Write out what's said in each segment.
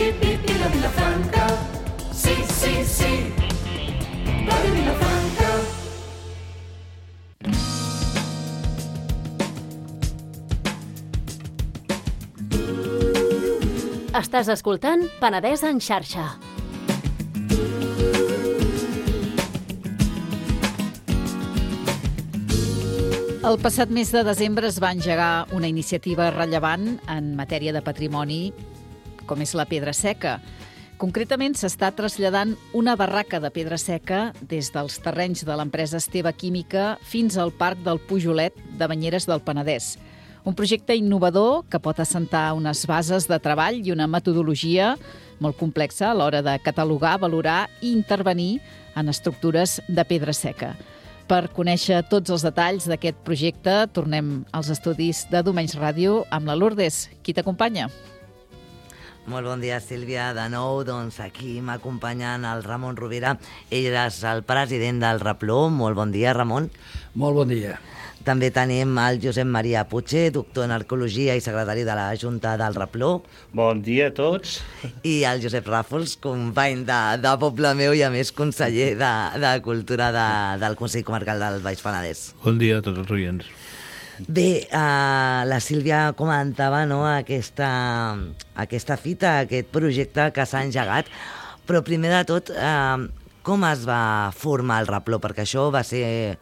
la Vilafranca. Sí, sí, sí, Ràdio Vilafranca. Estàs escoltant Penedès en xarxa. El passat mes de desembre es va engegar una iniciativa rellevant en matèria de patrimoni, com és la pedra seca. Concretament, s'està traslladant una barraca de pedra seca des dels terrenys de l'empresa Esteve Química fins al Parc del Pujolet de Banyeres del Penedès. Un projecte innovador que pot assentar unes bases de treball i una metodologia molt complexa a l'hora de catalogar, valorar i intervenir en estructures de pedra seca. Per conèixer tots els detalls d'aquest projecte, tornem als estudis de Domenys Ràdio amb la Lourdes. Qui t'acompanya? Molt bon dia, Sílvia. De nou, doncs, aquí m'acompanyen el Ramon Rovira. Ell és el president del Repló. Molt bon dia, Ramon. Molt bon dia. També tenim el Josep Maria Puig, doctor en Arqueologia i secretari de la Junta del Repló. Bon dia a tots. I el Josep Ràfols, company de Poble Meu i, a més, conseller de Cultura del Consell Comarcal del Baix Penedès. Bon dia a tots els oients. Bé, la Sílvia comentava, no, aquesta fita, aquest projecte que s'ha engegat, però primer de tot, com es va formar el Repló? Perquè això va ser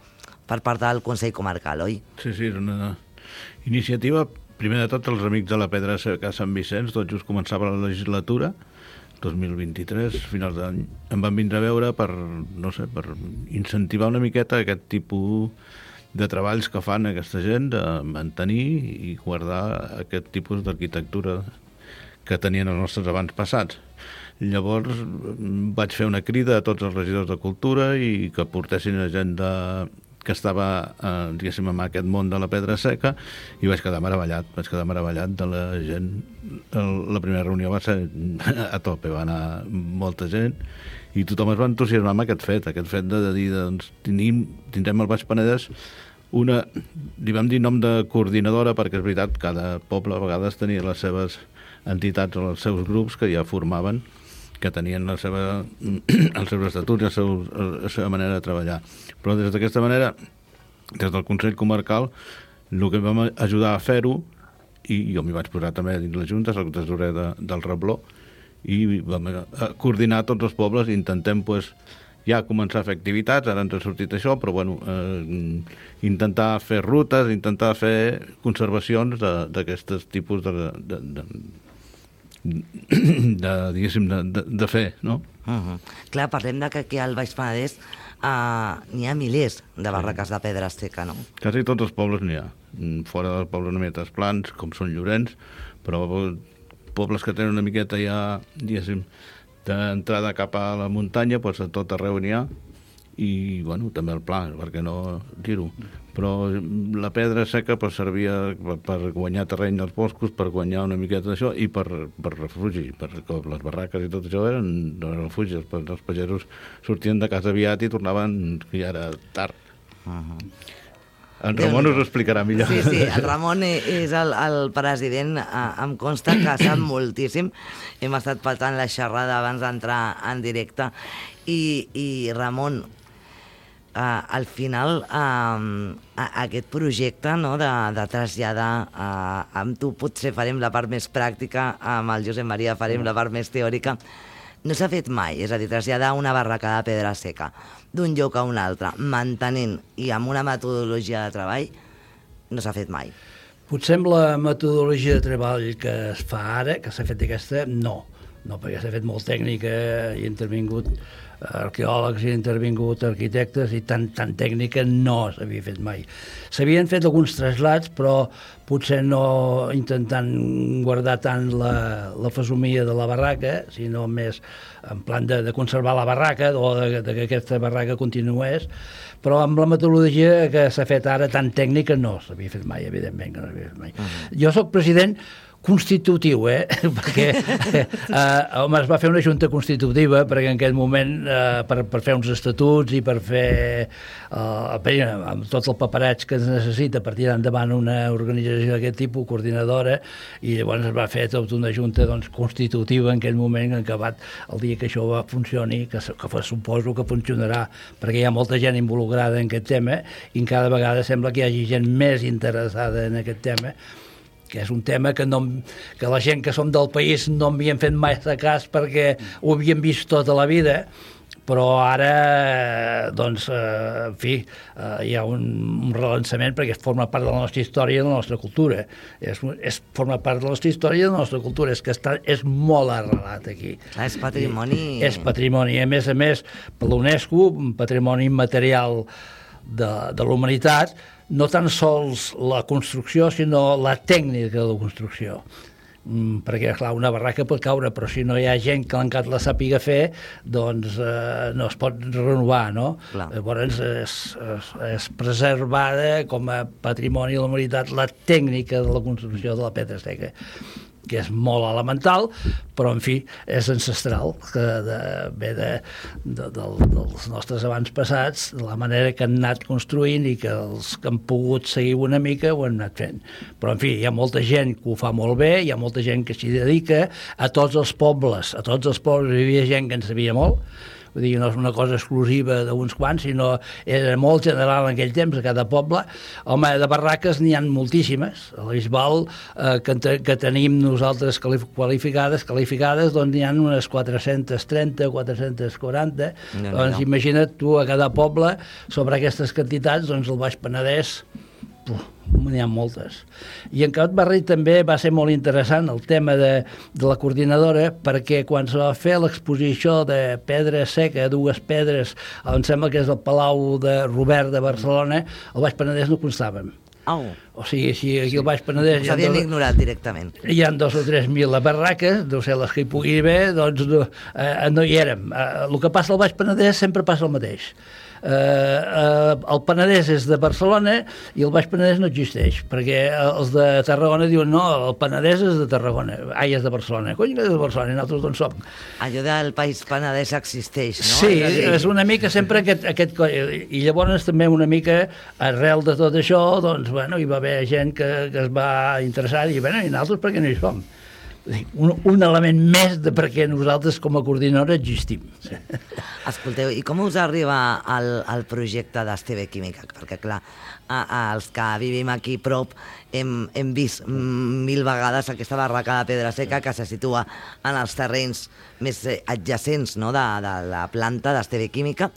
per part del Consell Comarcal, oi? Sí, és una iniciativa, primer de tot, els Amics de la Pedra Seca a Sant Vicenç, tot just començava la legislatura, 2023, finals d'any. Em van vindre a veure per incentivar una miqueta aquest tipus de treballs que fan aquesta gent, de mantenir i guardar aquest tipus d'arquitectura que tenien els nostres avantpassats. Llavors vaig fer una crida a tots els regidors de Cultura i que portessin a gent que estava, diguéssim, en aquest món de la pedra seca, i vaig quedar meravellat de la gent. La primera reunió va ser a tope, va anar molta gent, i tothom es va entusiasmar amb aquest fet de dir, doncs, tindrem al Baix Penedès li vam dir nom de coordinadora, perquè és veritat, cada poble a vegades tenia les seves entitats o els seus grups que ja formaven, que tenien els seus estatuts i la seva manera de treballar. Però des d'aquesta manera, des del Consell Comarcal, el que vam ajudar a fer-ho, i jo m'hi vaig posar també dins la Junta, soc tesorer del Repló, i vam coordinar tots els pobles i intentem ja començar a fer activitats. Ara ens ha sortit això, però intentar fer rutes, intentar fer conservacions d'aquests tipus de fer, no? Clar, parlem que aquí al Baix Penedès n'hi ha milers de barraques de pedra seca, no? Quasi tots els pobles n'hi ha. Fora dels pobles una miqueta plans, com són Llorenç, però pobles que tenen una miqueta ja, diguéssim, d'entrada cap a la muntanya, doncs a tot arreu n'hi ha, i, també el pla, perquè no dir-ho. Però la pedra seca servia per guanyar terreny als boscos, per guanyar una miqueta d'això, i per refugi, perquè les barraques i tot això eren refugis. Els pagesos sortien de casa aviat i tornaven, que ja era tard. En Ramon us ho explicarà millor. Sí, el Ramon és el president, em consta que sap moltíssim. Hem estat patant la xerrada abans d'entrar en directe. I Ramon, al final, aquest projecte de traslladar, amb tu potser farem la part més pràctica, amb el Josep Maria farem la part més teòrica, no s'ha fet mai, és a dir, traslladar una barraca de pedra seca d'un lloc a un altre, mantenint i amb una metodologia de treball, no s'ha fet mai. Potser amb la metodologia de treball que es fa ara, que s'ha fet aquesta, no, perquè s'ha fet molt tècnica, hi ha intervingut arqueòlegs, hi ha intervingut arquitectes, i tan tècnica no s'havia fet mai. S'havien fet alguns traslats, però potser no intentant guardar tant la fesomia de la barraca, sinó més en plan de conservar la barraca, o que aquesta barraca continués, però amb la metodologia que s'ha fet ara tan tècnica no s'havia fet mai, evidentment que no s'havia fet mai. Jo soc president constitutiu, perquè home, es va fer una junta constitutiva perquè en aquell moment per fer uns estatuts i per fer amb tot el papereig que es necessita per tirar endavant una organització d'aquest tipus, coordinadora, i llavors es va fer tota una junta constitutiva en aquell moment, en acabat el dia que això va funcioni, que suposo que funcionarà, perquè hi ha molta gent involucrada en aquest tema i cada vegada sembla que hi hagi gent més interessada en aquest tema, que és un tema que la gent que som del país no havien fet mai de cas perquè ho havien vist tota la vida, però ara, doncs, en fi, hi ha un relançament perquè forma part de la nostra història i de la nostra cultura. Forma part de la nostra història i de la nostra cultura. És molt arrelat aquí. És patrimoni... És patrimoni. A més, per l'UNESCO, un patrimoni immaterial de la humanitat, no tan sols la construcció, sinó la tècnica de la construcció. Perquè, clar, una barraca pot caure, però si no hi ha gent que l'encat la sàpiga fer, doncs no es pot renovar, no? Clar. Llavors és preservada com a patrimoni de la humanitat la tècnica de la construcció de la pedra seca, que és molt elemental, però, en fi, és ancestral, que ve dels nostres abans passats, de la manera que han anat construint i que els que han pogut seguir una mica ho han anat fent. Però, en fi, hi ha molta gent que ho fa molt bé, hi ha molta gent que s'hi dedica, a tots els pobles hi havia gent que en sabia molt, vull dir, no és una cosa exclusiva d'uns quants, sinó era molt general en aquell temps, a cada poble. Home, de barraques n'hi ha moltíssimes. A la Bisbal, que tenim nosaltres qualificades, doncs n'hi ha unes 430, 440. Doncs imagina't tu, a cada poble, sobre aquestes quantitats, doncs el Baix Penedès, n'hi ha moltes. I en Canut Barri també va ser molt interessant el tema de la coordinadora, perquè quan se va fer l'exposició de pedra seca, dues pedres, em sembla que és el Palau de Robert de Barcelona, al Baix Penedès no constàvem. O sigui, si aquí al Baix Penedès... S'havien ignorat directament. Hi ha 2 o 3.000 barraques, deu ser les que hi pugui haver, doncs no hi érem. El que passa al Baix Penedès sempre passa el mateix. El Penedès és de Barcelona i el Baix Penedès no existeix, perquè els de Tarragona diuen no, el Penedès és de Tarragona, és de Barcelona. Cony, que és de Barcelona, i nosaltres d'on som? Allò del País Penedès existeix, no? Sí, és una mica sempre aquest i llavors també una mica arrel de tot això, doncs, bueno, hi va haver gent que es va interessar i, bueno, i nosaltres per què no hi som? Un element més de per què nosaltres com a coordinadora existim. Escolteu, i com us arriba el projecte d'Esteve Química? Perquè, clar, els que vivim aquí prop hem vist 1000 vegades aquesta barraca de pedra seca que se situa en els terrenys més adjacents, no?, de la planta d'Esteve Química,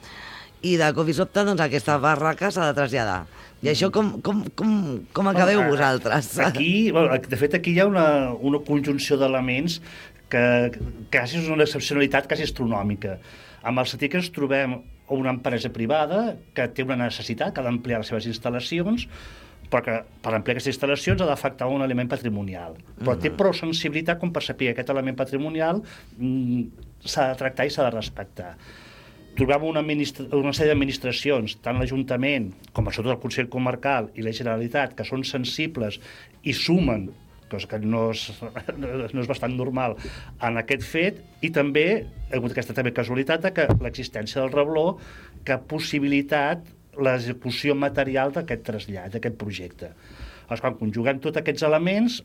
i de cop i sobte, doncs, aquesta barraca s'ha de traslladar. I això com acabeu vosaltres? Aquí, de fet, aquí hi ha una conjunció d'elements que quasi és una excepcionalitat quasi astronòmica. Amb el sentit que ens trobem una empresa privada que té una necessitat, que ha d'ampliar les seves instal·lacions, però que per ampliar aquestes instal·lacions ha d'afectar un element patrimonial. Però té prou sensibilitat com per saber que aquest element patrimonial s'ha de tractar i s'ha de respectar. Trobem una sèrie d'administracions, tant l'Ajuntament com sobretot el Consell Comarcal i la Generalitat, que són sensibles i sumen, cosa que no és bastant normal, en aquest fet, i també hi ha hagut aquesta també casualitat que l'existència del rebló que ha possibilitat l'execució material d'aquest trasllat, d'aquest projecte. Llavors, quan conjuguem tots aquests elements,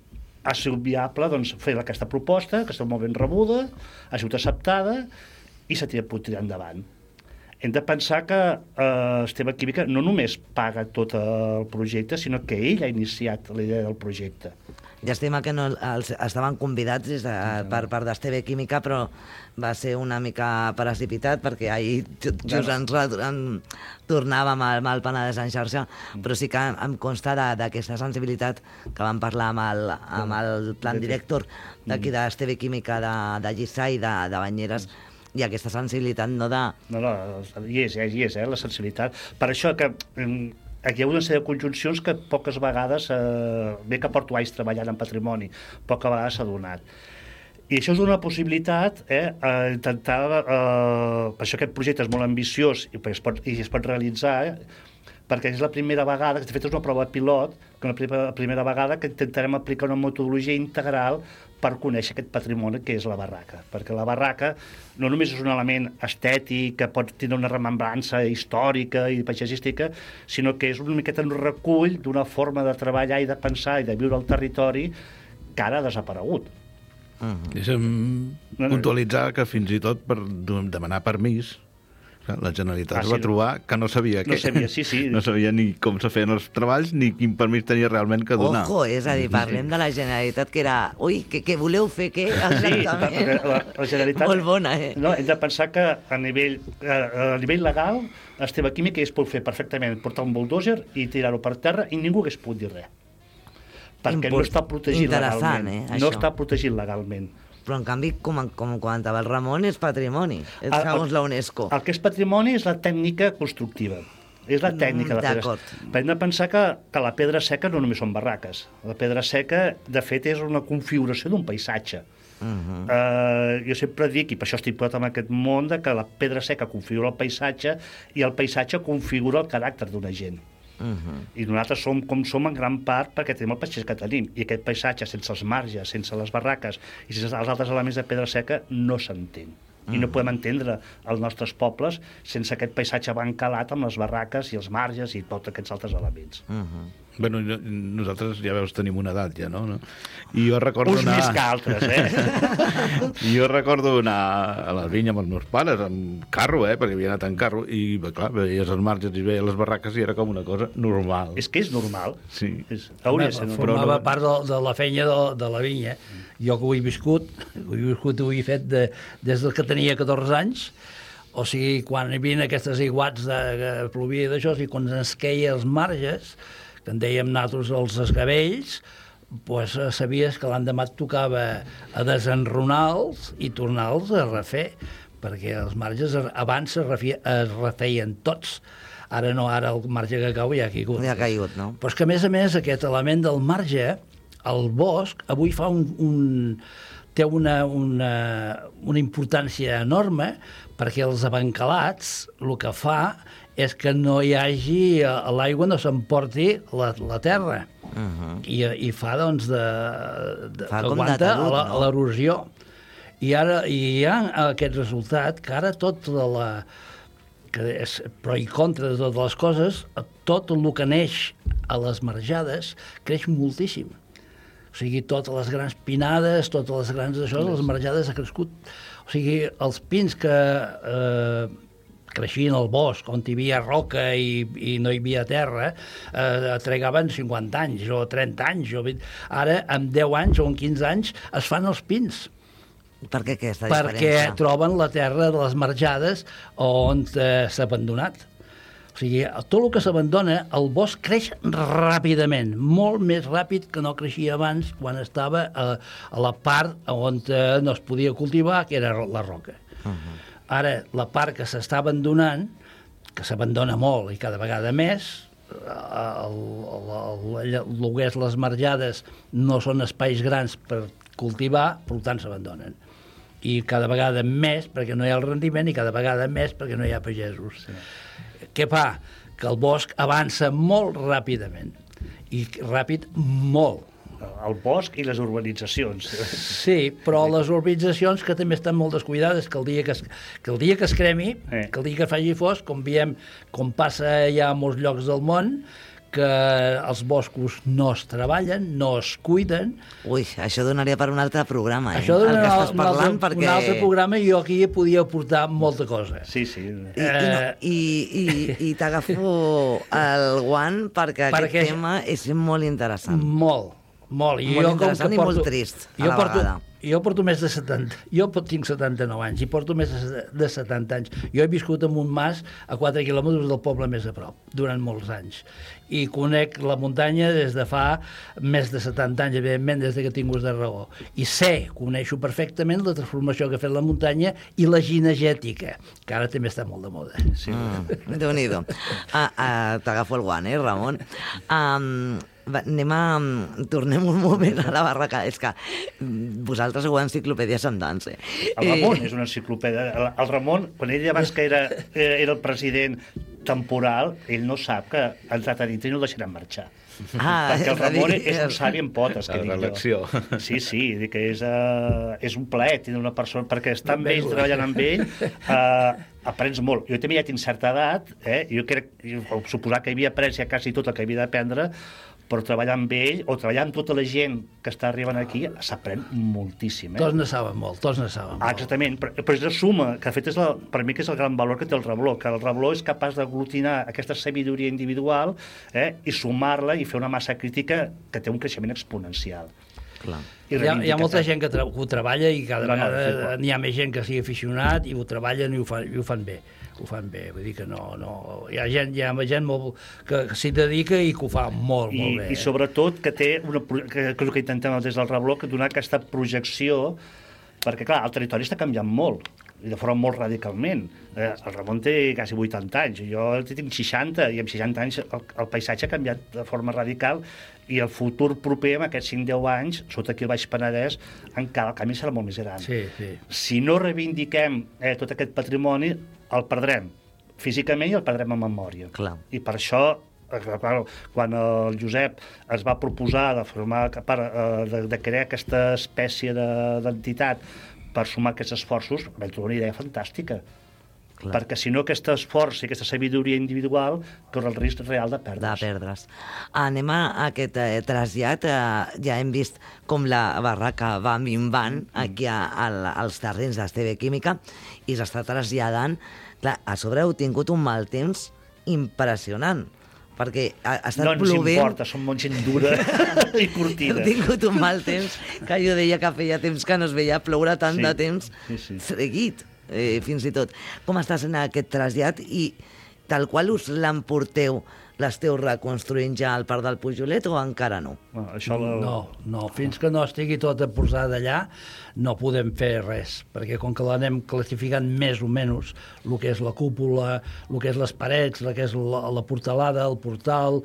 ha sigut viable doncs, fer aquesta proposta, que està molt ben rebuda, ha sigut acceptada i s'ha pogut tirar endavant. Hem de pensar que Esteve Química no només paga tot el projecte, sinó que ell ha iniciat la idea del projecte. Llàstima que no estaven convidats per part d'Esteve Química, però va ser una mica precipitat, perquè ahir just ens tornàvem al Penedès en xarxa, però sí que em consta d'aquesta sensibilitat que vam parlar amb el plan director d'aquí d'Esteve Química de Lliçà i de Banyeres, i aquesta sensibilitat no de... No, hi és, la sensibilitat. Per això que aquí hi ha una sèrie de conjuncions que poques vegades, bé que porto anys treballant en patrimoni, poques vegades s'ha donat. I això és una possibilitat, a intentar... per això aquest projecte és molt ambiciós i es pot realitzar, perquè és la primera vegada, de fet és una prova pilot, que la primera vegada que intentarem aplicar una metodologia integral per conèixer aquest patrimoni que és la barraca. Perquè la barraca no només és un element estètic, que pot tenir una remembrança històrica i paisatgística, sinó que és una miqueta un recull d'una forma de treballar i de pensar i de viure al territori que ara ha desaparegut. Deixa'm puntualitzar que fins i tot per demanar permís la Generalitat es va trobar que no sabia què. No sabia ni com se feien els treballs ni quin permís tenia realment que donar. Ojo, és a dir, parlem de la Generalitat que era... Ui, què voleu fer, què? Exactament. Sí, la Generalitat... Molt bona, No, hem de pensar que a nivell legal el tema químic es pot fer perfectament, portar un bulldozer i tirar-ho per terra i ningú hagués pogut dir res. Perquè no està protegit legalment. No està protegit legalment. Però, en canvi, com comentava el Ramon, és patrimoni, segons la UNESCO. El que és patrimoni és la tècnica constructiva. És la tècnica de la pedra. Però hem de pensar que la pedra seca no només són barraques. La pedra seca, de fet, és una configuració d'un paisatge. Jo sempre dic, i per això estic posat en aquest món, que la pedra seca configura el paisatge i el paisatge configura el caràcter d'una gent. I nosaltres som com som en gran part perquè tenim el paisatge que tenim, i aquest paisatge sense els marges, sense les barraques i sense els altres elements de pedra seca no s'entén. I no podem entendre els nostres pobles sense aquest paisatge bancalat amb les barraques i els marges i tots aquests altres elements. Bueno, nosaltres, ja veus, tenim una edat ja, no? I jo recordo uns més que altres, Jo recordo anar a la vinya amb els meus pares, amb carro, perquè havia anat en carro, i, clar, veies els marges i veies les barraques i era com una cosa normal. És que és normal. Sí. Formava part de la feina de la vinya. Jo que ho he viscut, ho he fet des que tenia 14 anys, o sigui, quan hi havia aquestes aiguats que plovia d'això, i quan ens queia els marges, que en dèiem nosaltres els esgabells, doncs sabies que l'endemà et tocava a desenronar-los i tornar-los a refer, perquè els marges abans es refeien tots. Ara no, ara el marge que cau ja ha caigut. Ja ha caigut, no? Però és que, a més, aquest element del marge, el bosc, avui fa té una importància enorme, perquè els abancalats el que fa és que no hi hagi, l'aigua no s'emporti la terra. I fa, doncs, que aguanta l'erosió. I ara hi ha aquest resultat que ara tot que és pro i contra de totes les coses, tot el que neix a les marjades creix moltíssim. O sigui, totes les grans pinades, totes les grans d'això, les marjades ha crescut. O sigui, els pins que creixien al bosc, on hi havia roca i no hi havia terra, trigaven 50 anys o 30 anys. Ara, en 10 anys o en 15 anys, es fan els pins. Per què aquesta diferència? Perquè troben la terra de les marjades on s'ha abandonat. O sigui, tot el que s'abandona, el bosc creix ràpidament, molt més ràpid que no creixia abans quan estava a la part on no es podia cultivar, que era la roca. Ara, la part que s'està abandonant, que s'abandona molt i cada vegada més, el que és les marjades no són espais grans per cultivar, per tant s'abandonen. I cada vegada més perquè no hi ha el rendiment i cada vegada més perquè no hi ha pagesos. Què fa? Que el bosc avança molt ràpidament. I ràpid, molt. El bosc i les urbanitzacions. Sí, però les urbanitzacions que també estan molt descuidades, que el dia que es cremi, que el dia que faci fosc, com passa ja a molts llocs del món, que els boscos no es treballen, no es cuiden. Ui, això donaria per un altre programa, Això donaria un altre programa i jo aquí podia aportar molta cosa. Sí, sí. I t'agafo el guant perquè aquest tema és molt interessant. Molt. Molt interessant i molt trist, a la vegada. Jo porto més de 70... Jo tinc 79 anys i porto més de 70 anys. Jo he viscut en un mas a 4 quilòmetres del poble més a prop, durant molts anys. I conec la muntanya des de fa més de 70 anys, evidentment, des que tinc ús de raó. I coneixo perfectament la transformació que ha fet la muntanya i la ginegètica, que ara també està molt de moda. Sí. Déu-n'hi-do. T'agafo el guant, Ramon? Tornem un moment a la barraca. És que vosaltres heu enciclopèdia Sandans. El Ramon és una enciclopèdia. El Ramon, quan ell abans que era el president, temporal, ell no sap que ha entrat a dintre i no el deixaran marxar. Perquè el és a dir, Ramon és un savi en potes, que La dic jo. reelecció. Sí, dic que és un plaer tenir una persona, perquè estar amb ell, treballant amb ell, aprens molt. Jo també ja tinc certa edat, jo suposar que havia après ja quasi tot el que havia d'aprendre, però treballar amb ell, o treballar amb tota la gent que està arribant aquí, s'aprèn moltíssim. Tots ne saben molt, Exactament, però és la suma, que de fet és per mi que és el gran valor que té el rebló, que el rebló és capaç d'aglutinar aquesta sabidoria individual i sumar-la i fer una massa crítica que té un creixement exponencial. Clar. Hi ha molta gent que ho treballa i cada vegada sí, n'hi ha més gent que sigui aficionat i ho treballen i ho fan bé. Ho fan bé, vull dir que no... Hi ha gent molt que s'hi dedica i que ho fa molt bé. I sobretot que té que és el que intentem des del rebló, que donar aquesta projecció, perquè clar, el territori està canviant molt, i de forma molt radicalment. El Ramon té quasi 80 anys, jo tinc 60, i amb 60 anys el paisatge ha canviat de forma radical, i el futur proper, amb aquests 5-10 anys, sota aquí al Baix Penedès, encara el canvi serà molt més gran. Sí. Si no reivindiquem tot aquest patrimoni, el perdrem físicament i el perdrem en memòria. Clar. I per això, quan el Josep es va proposar de formar de crear aquesta espècie d'entitat per sumar aquests esforços, vam trobar una idea fantàstica. Clar. Perquè si no aquest esforç i aquesta sabidoria individual corre el risc real de perdre's. Anem a aquest trasllat. Ja hem vist com la barraca va minvant aquí als terrenys d'Esteve Química i s'està traslladant. Clar, a sobre heu tingut un mal temps impressionant, perquè ha estat plovent... No ens importa, som molt gent dura i curtida. Heu tingut un mal temps, que jo deia que feia temps que no es veia ploure tant de temps seguit. Fins i tot. Com està sent aquest trasllat i tal qual us l'emporteu, l'esteu reconstruint ja al Parc del Pujolet o encara no? No, fins que no estigui tota posada allà no podem fer res, perquè com que l'anem classificant més o menys el que és la cúpula, el que és les parets, el que és la portalada, el portal,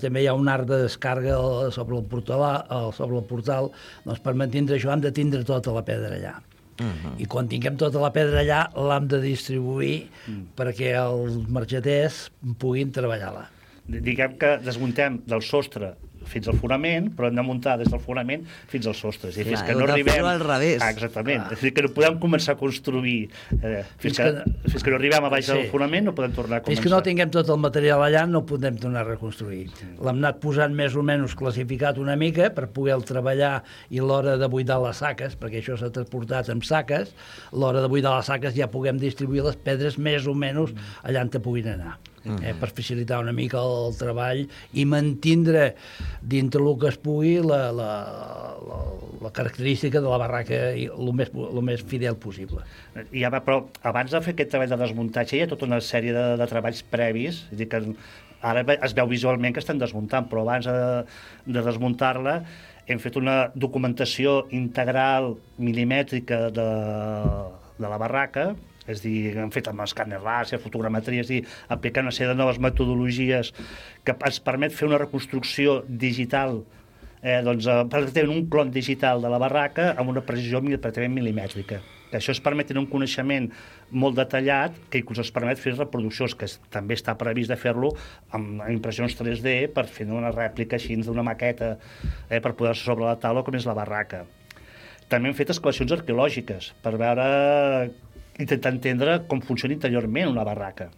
també hi ha un arc de descàrrega sobre el portal, doncs per mantindre això hem de tindre tota la pedra allà. I quan tinguem tota la pedra allà l'hem de distribuir perquè els marxaters puguin treballar-la. Diguem que desmuntem del sostre fins al fonament, però hem de muntar des del fonament fins als sostres. I fins que no arribem... al revés. Exactament. És a dir, que no podem començar a construir. Fins que no arribem a baix del fonament no podem tornar a començar. Fins que no tinguem tot el material allà no podem tornar a reconstruir. L'hem anat posant més o menys classificat una mica per poder treballar i l'hora de buidar les saques, perquè això s'ha transportat amb saques, l'hora de buidar les saques ja puguem distribuir les pedres més o menys allà on puguin anar. Per facilitar una mica el treball i mantindre dintre el que es pugui la característica de la barraca el més fidel possible. Però abans de fer aquest treball de desmuntatge hi ha tota una sèrie de treballs previs, és a dir, que ara es veu visualment que estan desmuntant, però abans de desmuntar-la hem fet una documentació integral milimètrica de la barraca, és a dir, hem fet amb escàner làser, fotogrametria, és a dir, aplicant una sèrie de noves metodologies que ens permet fer una reconstrucció digital, pràcticament un clon digital de la barraca amb una precisió pràcticament milimètrica. Això es permet tenir un coneixement molt detallat que inclús es permet fer reproduccions, que també està previst de fer-lo amb impressions 3D per fer una rèplica així d'una maqueta per poder-se sobre la taula com és la barraca. També hem fet excavacions arqueològiques per veure, intentar entendre com funciona interiorment una barraca,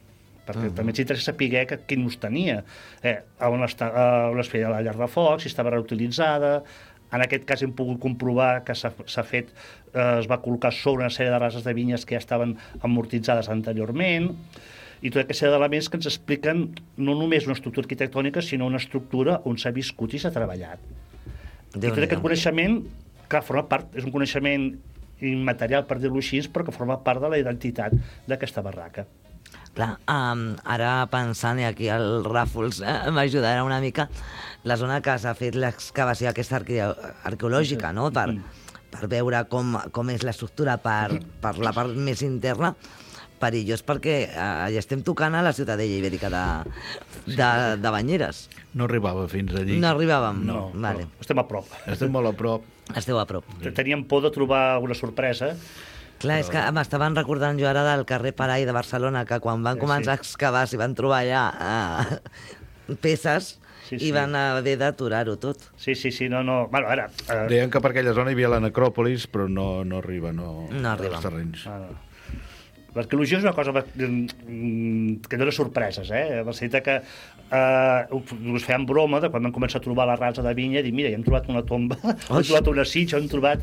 perquè també ens interessa saber quin ús tenia, on es feia la llar de foc, si estava reutilitzada. En aquest cas hem pogut comprovar que s'ha fet, es va col·locar sobre una sèrie de rases de vinyes que ja estaven amortitzades anteriorment, i tota aquesta sèrie d'elements que ens expliquen no només una estructura arquitectònica, sinó una estructura on s'ha viscut i s'ha treballat. I tot aquest coneixement, que forma part, és un coneixement immaterial, per dir-ho així, però que forma part de la identitat d'aquesta barraca. Clar, ara pensant, i aquí el Ràfols m'ajudarà una mica, la zona que s'ha fet l'excavació aquesta arqueològica, no? Per veure com és l'estructura per la part més interna, perillós perquè ja estem tocant a la ciutadella ibèrica de Banyeres. No arribava fins allí. No arribàvem? No, vale. estem a prop. Estem molt a prop. Esteu a prop. Teníem por de trobar una sorpresa Clar, és que m'estaven recordant jo ara del carrer Parai de Barcelona, que quan van començar a excavar s'hi van trobar allà peces i van haver d'aturar-ho tot. Sí, no. Bueno, ara... Deien que per aquella zona hi havia la necròpolis, però no arriba, No arriba. als terrenys. L'arqueologia és una cosa que dona sorpreses, en el sentit que us feien broma de quan vam començar a trobar la rasa de vinya, dir, mira, hem trobat una tomba, hem trobat una sitja, hem trobat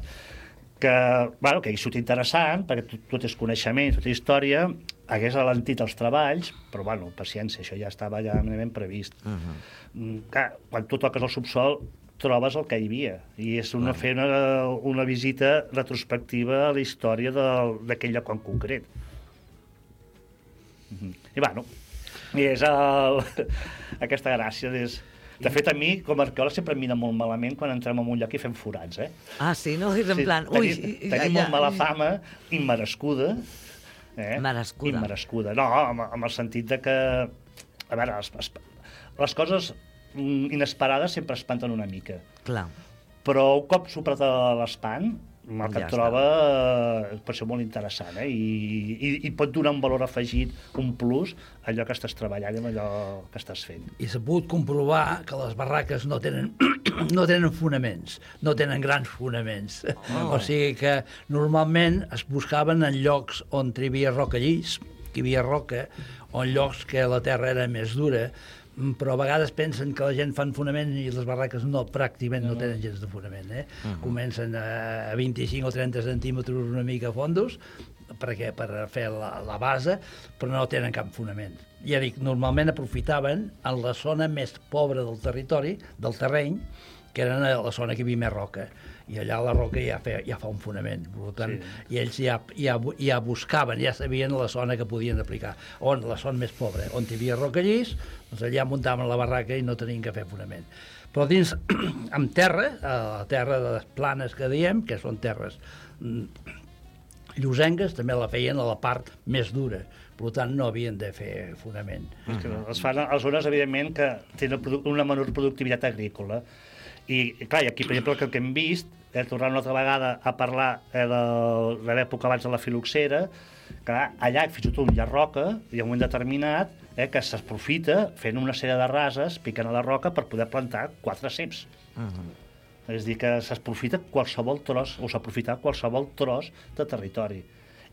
que hi surt interessant, perquè tot és coneixement, tota història, hagués alentit els treballs, però, paciència, això ja estava ja previst. Clar, quan tu toques el subsol, trobes el que hi havia, i és fer una visita retrospectiva a la història d'aquell lloc en concret. I és aquesta gràcia és... De fet, a mi, com a arqueòleg, sempre em mira molt malament quan entrem en un lloc i fem forats, Ah, sí? No? És en plan... Tenim molt mala fama, immerescuda. Immerescuda. No, amb el sentit de que... A veure, les coses inesperades sempre espanten una mica. Clar. Però un cop superat l'espant, el que et troba pot ser molt interessant, i pot donar un valor afegit, un plus, a allò que estàs treballant i a allò que estàs fent. I s'ha pogut comprovar que les barraques no tenen fonaments, no tenen grans fonaments. O sigui que normalment es buscaven en llocs on hi havia roca llis, que hi havia roca, o en llocs que la terra era més dura, però a vegades pensen que la gent fan fonament i les barraques pràcticament no tenen gens de fonament. Comencen a 25 o 30 centímetres una mica fondos per fer la base, però no tenen cap fonament. Ja dic, normalment aprofitaven en la zona més pobra del territori, del terreny, que era la zona que hi havia més roca. I allà la roca ja fa un fonament. Per tant, i ells ja buscaven, ja sabien la zona que podien aplicar. La zona més pobra, on hi havia roca llis, doncs allà muntaven la barraca i no tenien que fer fonament. Però dins, amb terra, la terra de les planes que diem, que són terres llosengues, també la feien a la part més dura. Per tant, no havien de fer fonament. Es fan a zones, evidentment, que tenen una menor productivitat agrícola. I, clar, aquí, per exemple, el que hem vist, tornant una altra vegada a parlar de l'època abans de la filoxera, que allà fins i tot hi ha roca, i a un moment determinat, que s'aprofita fent una sèrie de rases, picant a la roca per poder plantar 4 ceps. És a dir, que s'aprofita qualsevol tros, o s'aprofita qualsevol tros de territori.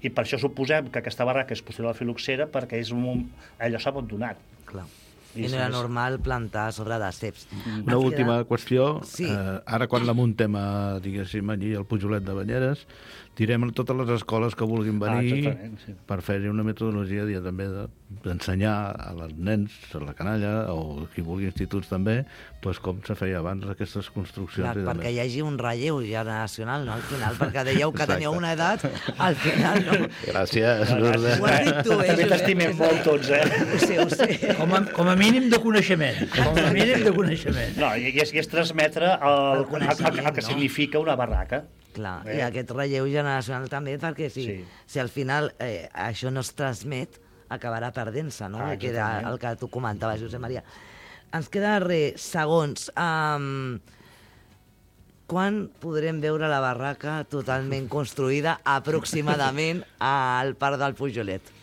I per això suposem que aquesta barraca és posterior a la filoxera, perquè allò s'ha abandonat. Clar. I no era normal plantar sobre de ceps. Una última qüestió. Sí. Ara, quan la muntem, diguéssim, allí al Pujolet de Banyeres, tirem a totes les escoles que vulguin venir per fer-hi una metodologia també d'ensenyar als nens, a la canalla, o qui vulgui instituts també, com se feia abans aquestes construccions. Clar, perquè hi hagi un relleu generacional, no?, al final, perquè dèieu que teníeu una edat, al final, no? Gràcies. Ho has dit tu, També t'estimem molt tots, Ho sé. Com a mínim de coneixement. No, i és transmetre el que significa una barraca. Clar, i aquest relleu generacional també, perquè si al final això no es transmet, acabarà perdent-se, no? Que era el que tu comentaves, Josep Maria. Ens queda segons. Quan podrem veure la barraca totalment construïda aproximadament al Parc del Pujolet?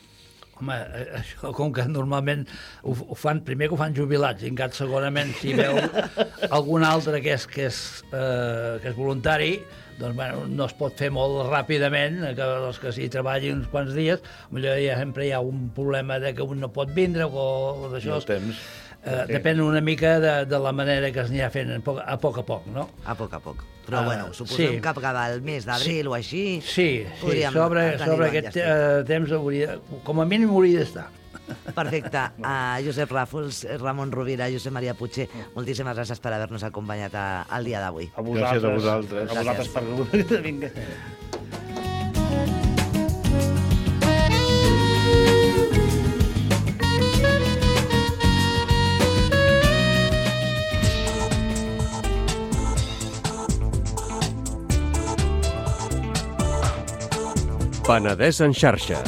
Home, això, com que normalment ho fan, primer que ho fan jubilats, i encara segonament si veu algun altre que és voluntari, doncs no es pot fer molt ràpidament, que els que s'hi treballin uns quants dies, potser sempre hi ha un problema de que un no pot vindre o d'això. Depèn una mica de la manera que es anirà fent a poc a poc, no? A poc a poc. Però, suposem que cap al mes d'abril o així... Sí, sobre aquest temps com a mínim hauria d'estar. Perfecte. Josep Ràfols, Ramon Rovira, Josep Maria Puig, moltíssimes gràcies per haver-nos acompanyat el dia d'avui. Gràcies a vosaltres. A vosaltres per vinga. Penedès en xarxa.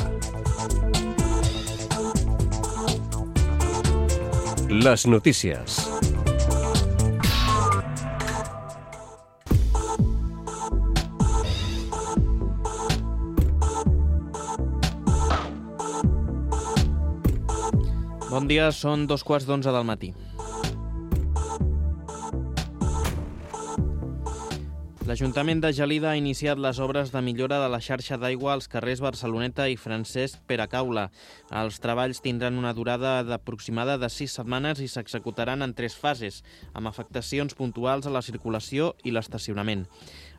Les notícies. Bon dia, són 11:15 del matí. L'Ajuntament de Gelida ha iniciat les obres de millora de la xarxa d'aigua als carrers Barceloneta i Francesc Peracaula. Els treballs tindran una durada aproximada de 6 setmanes i s'executaran en 3 fases, amb afectacions puntuals a la circulació i l'estacionament.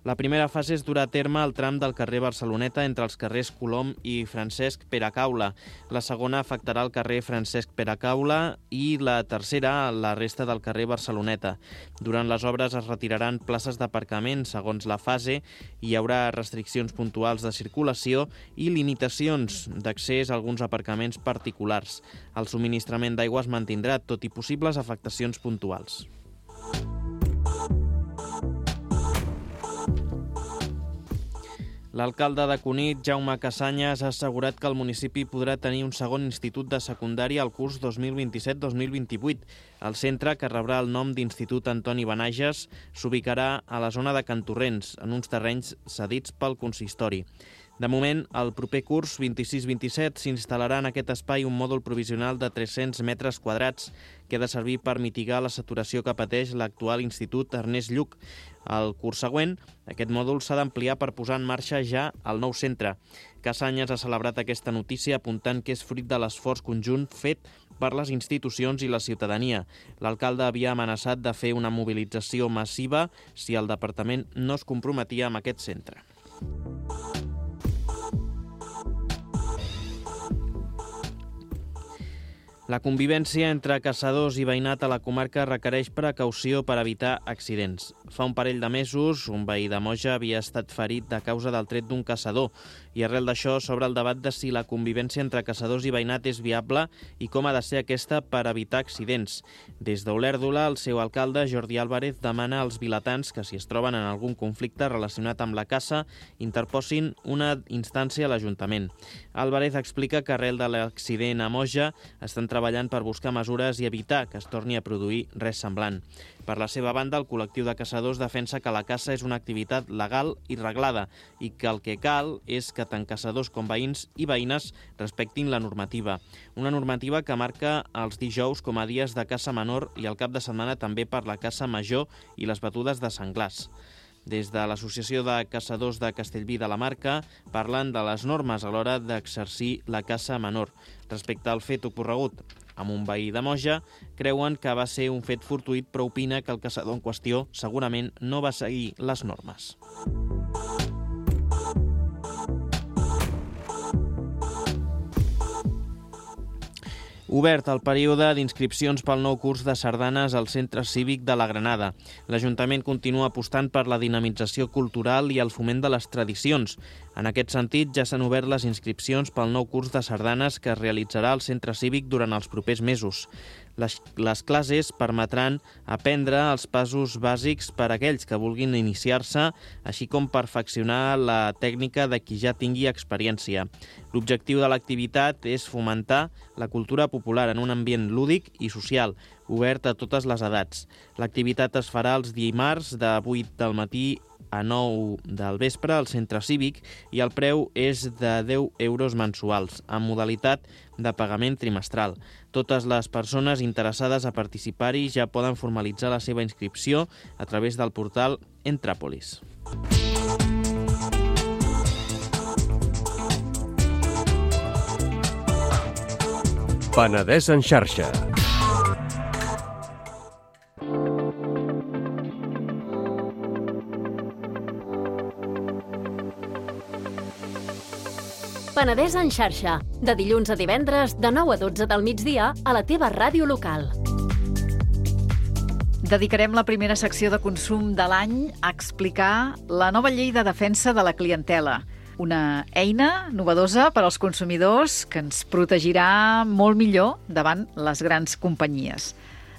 La primera fase es durà a terme al tram del carrer Barceloneta entre els carrers Colom i Francesc Peracaula. La segona afectarà el carrer Francesc Peracaula i la tercera la resta del carrer Barceloneta. Durant les obres es retiraran places d'aparcament segons la fase, hi haurà restriccions puntuals de circulació i limitacions d'accés a alguns aparcaments particulars. El subministrament d'aigua es mantindrà, tot i possibles afectacions puntuals. L'alcalde de Cunit, Jaume Cassanyes, ha assegurat que el municipi podrà tenir un segon institut de secundària al curs 2027-2028. El centre, que rebrà el nom d'Institut Antoni Benages, s'ubicarà a la zona de Cantorrents, en uns terrenys cedits pel consistori. De moment, el proper curs 26-27 s'instal·larà en aquest espai un mòdul provisional de 300 metres quadrats que ha de servir per mitigar la saturació que pateix l'actual Institut Ernest Lluch. El curs següent, aquest mòdul s'ha d'ampliar per posar en marxa ja el nou centre. Cassanyes ha celebrat aquesta notícia apuntant que és fruit de l'esforç conjunt fet per les institucions i la ciutadania. L'alcalde havia amenaçat de fer una mobilització massiva si el departament no es comprometia amb aquest centre. La convivència entre caçadors i veïnat a la comarca requereix precaució per evitar accidents. Fa un parell de mesos, un veí de Moja havia estat ferit a causa del tret d'un caçador i arrel d'això s'obre el debat de si la convivència entre caçadors i veïnat és viable i com ha de ser aquesta per evitar accidents. Des d'Olèrdola, el seu alcalde, Jordi Álvarez, demana als vilatans que si es troben en algun conflicte relacionat amb la caça, interposin una instància a l'Ajuntament. Álvarez explica que arrel de l'accident a Moja estan treballant per buscar mesures i evitar que es torni a produir res semblant. Per la seva banda, el col·lectiu de caçadors defensa que la caça és una activitat legal i reglada i que el que cal és que tant caçadors com veïns i veïnes respectin la normativa. Una normativa que marca els dijous com a dies de caça menor i el cap de setmana també per la caça major i les batudes de senglars. Des de l'Associació de Caçadors de Castellví de la Marca parlen de les normes a l'hora d'exercir la caça menor. Respecte al fet ocorregut amb un veí de Moja, creuen que va ser un fet fortuït, però opina que el caçador en qüestió segurament no va seguir les normes. Obert el període d'inscripcions pel nou curs de sardanes al Centre Cívic de la Granada. L'Ajuntament continua apostant per la dinamització cultural i el foment de les tradicions. En aquest sentit, ja s'han obert les inscripcions pel nou curs de sardanes que es realitzarà al Centre Cívic durant els propers mesos. Les classes permetran aprendre els passos bàsics per a aquells que vulguin iniciar-se, així com perfeccionar la tècnica de qui ja tingui experiència. L'objectiu de l'activitat és fomentar la cultura popular en un ambient lúdic i social, obert a totes les edats. L'activitat es farà els dimarts de 8 del matí a 9 del vespre al Centre Cívic i el preu és de 10 euros mensuals, amb modalitat de pagament trimestral. Totes les persones interessades a participar-hi ja poden formalitzar la seva inscripció a través del portal Entràpolis. Penedès en xarxa. Penedès en xarxa, de dilluns a divendres de 9 a 12 del migdia a la teva ràdio local. Dedicarem la primera secció de consum de l'any a explicar la nova llei de defensa de la clientela. Una eina novedosa per als consumidors que ens protegirà molt millor davant les grans companyies.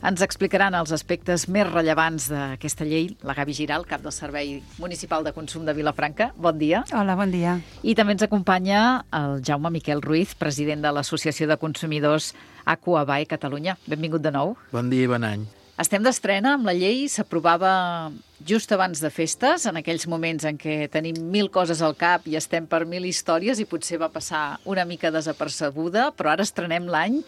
Ens explicaran els aspectes més rellevants d'aquesta llei la Gavi Giral, cap del Servei Municipal de Consum de Vilafranca. Bon dia. Hola, bon dia. I també ens acompanya el Jaume Miquel Ruiz, president de l'Associació de Consumidors Aquabae Catalunya. Benvingut de nou. Bon dia i bon any. Estem d'estrena amb la llei, s'aprovava just abans de festes, en aquells moments en què tenim 1000 coses al cap i estem per 1000 històries i potser va passar una mica desapercebuda, però ara estrenem l'any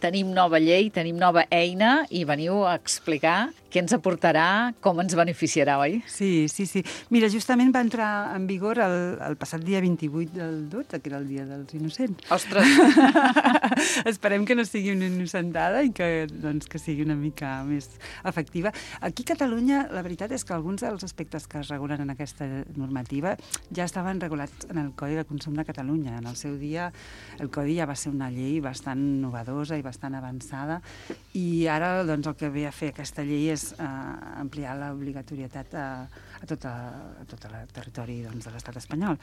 tenim nova llei, tenim nova eina i veniu a explicar què ens aportarà, com ens beneficiarà, oi? Sí. Mira, justament va entrar en vigor el passat dia 28 del 12, que era el dia dels innocents. Ostres! Esperem que no sigui una innocentada i que sigui una mica més efectiva. Aquí a Catalunya, la veritat és que alguns dels aspectes que es regulen en aquesta normativa ja estaven regulats en el Codi de Consum de Catalunya. En el seu dia, el Codi ja va ser una llei bastant novedosa i bastant avançada i ara el que ve a fer aquesta llei és ampliar l'obligatorietat a tot el territori de l'estat espanyol.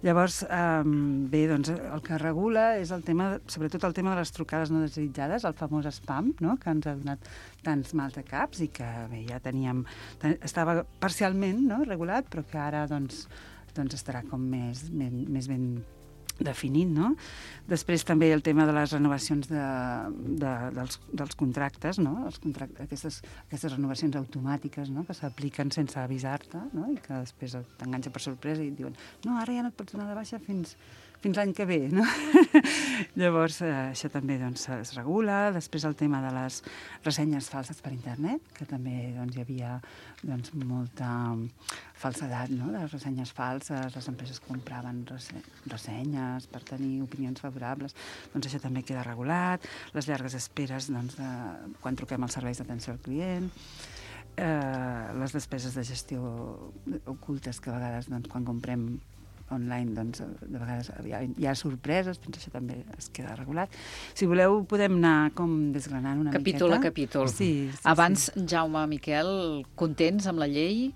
Llavors, el que regula és sobretot el tema de les trucades no desitjades, el famós spam, no?, que ens ha donat tants mals de caps i que ja estava parcialment, no?, regulat, però que ara estarà com més ben definit, no? Després també el tema de les renovacions dels contractes, no? Aquestes renovacions automàtiques, no?, que s'apliquen sense avisar-te, no?, i que després t'enganxa per sorpresa i et diuen no, ara ja no et pots donar de baixa fins l'any que ve, no? Llavors, això també es regula. Després el tema de les ressenyes falses per internet, que també hi havia molta falsedat, no?, de les ressenyes falses, les empreses compraven ressenyes per tenir opinions favorables, això també queda regulat. Les llargues esperes quan truquem als serveis d'atenció al client, les despeses de gestió ocultes que a vegades quan comprem online, de vegades hi ha sorpreses, això també es queda regulat. Si voleu, podem anar com desgranant una capítol miqueta. A capítol. Sí. Abans, Jaume, Miquel, contents amb la llei?